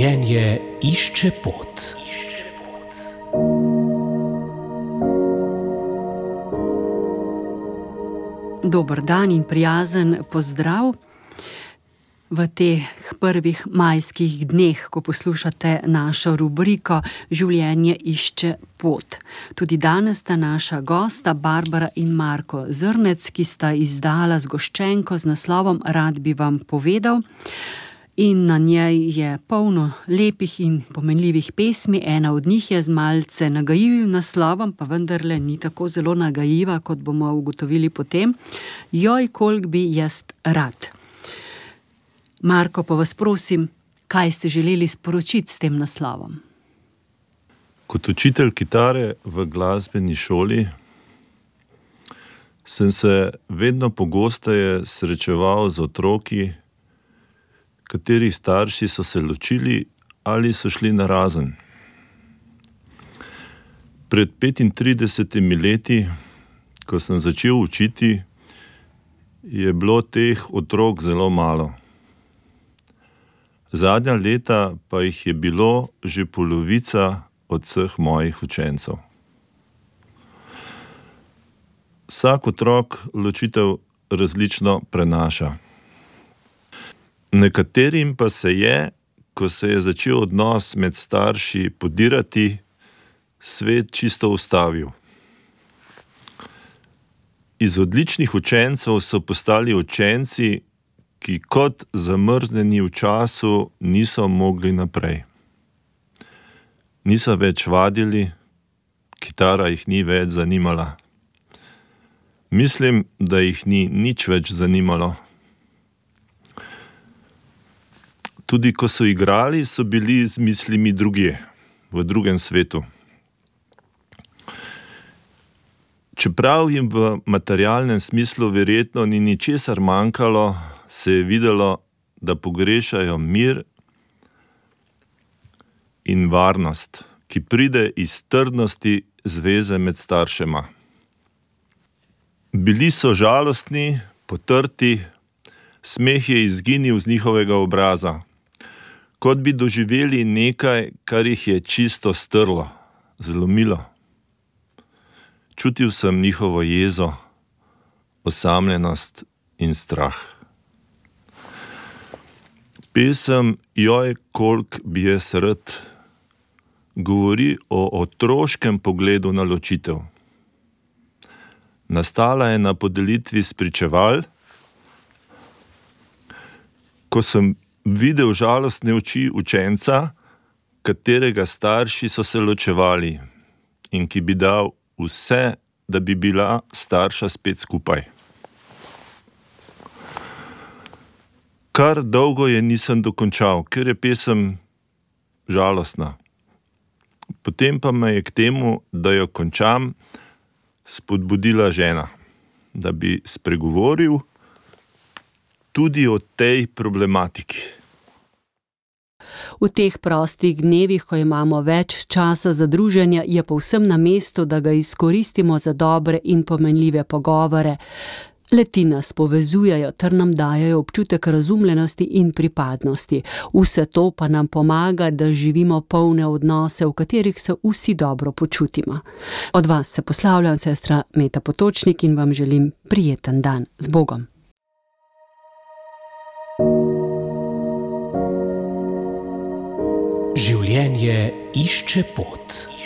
Življenje išče pot. Dober dan in prijazen pozdrav v teh prvih majskih dneh, ko poslušate našo rubriko Življenje išče pot. Tudi danes sta naša gosta Barbara in Marko Zrnec, ki sta izdala zgoščenko z naslovom Rad bi vam povedal. In na njej je polno lepih in pomenljivih pesmi. Ena od njih je z malce nagajivim naslovom, pa vendarle ni tako zelo nagajiva, kot bomo ugotovili potem. Joj, koliko bi jaz rad. Marko, pa vas prosim, kaj ste želeli sporočiti s tem naslovom? Kot učitelj kitare v glasbeni šoli sem se vedno pogosteje srečeval z otroki, katerih starši so se ločili ali so šli narazen. Pred 35 leti, ko sem začel učiti, je bilo teh otrok zelo malo. Zadnja leta pa jih je bilo že polovica od vseh mojih učencev. Vsak otrok ločitev različno prenaša. Nekaterim pa se je, ko se je začel odnos med starši podirati, svet čisto ustavil. Iz odličnih učencev so postali učenci, ki kot zamrznjeni v času niso mogli naprej. Niso več vadili, kitara jih ni več zanimala. Mislim, da jih ni nič več zanimalo. Tudi ko so igrali, so bili z mislimi drugje, v drugem svetu. Čeprav jim v materialnem smislu verjetno ni ničesar manjkalo, se je videlo, da pogrešajo mir in varnost, ki pride iz trdnosti zveze med staršema. Bili so žalostni, potrti, smeh je izginil z njihovega obraza, kot bi doživeli nekaj, kar jih je čisto strlo, zlomilo. Čutil sem njihovo jezo, osamljenost in strah. Pesem Joj, koliko bi jaz rad govori o otroškem pogledu na ločitev. Nastala je na podelitvi spričeval, ko sem videl žalostne oči učenca, katerega starši so se ločevali in ki bi dal vse, da bi bila starša spet skupaj. Kar dolgo je nisem dokončal, ker je pesem žalostna. Potem pa me je k temu, da jo končam, spodbudila žena, da bi spregovoril tudi o tej problematiki. V teh prostih dnevih, ko imamo več časa za druženje, je povsem na mestu, da ga izkoristimo za dobre in pomenljive pogovore. Le-ti nas povezujejo ter nam dajejo občutek razumljenosti in pripadnosti. Vse to pa nam pomaga, da živimo polne odnose, v katerih se vsi dobro počutimo. Od vas se poslavljam, sestra Meta Potočnik, in vam želim prijeten dan. Z Bogom. Življenje išče pot.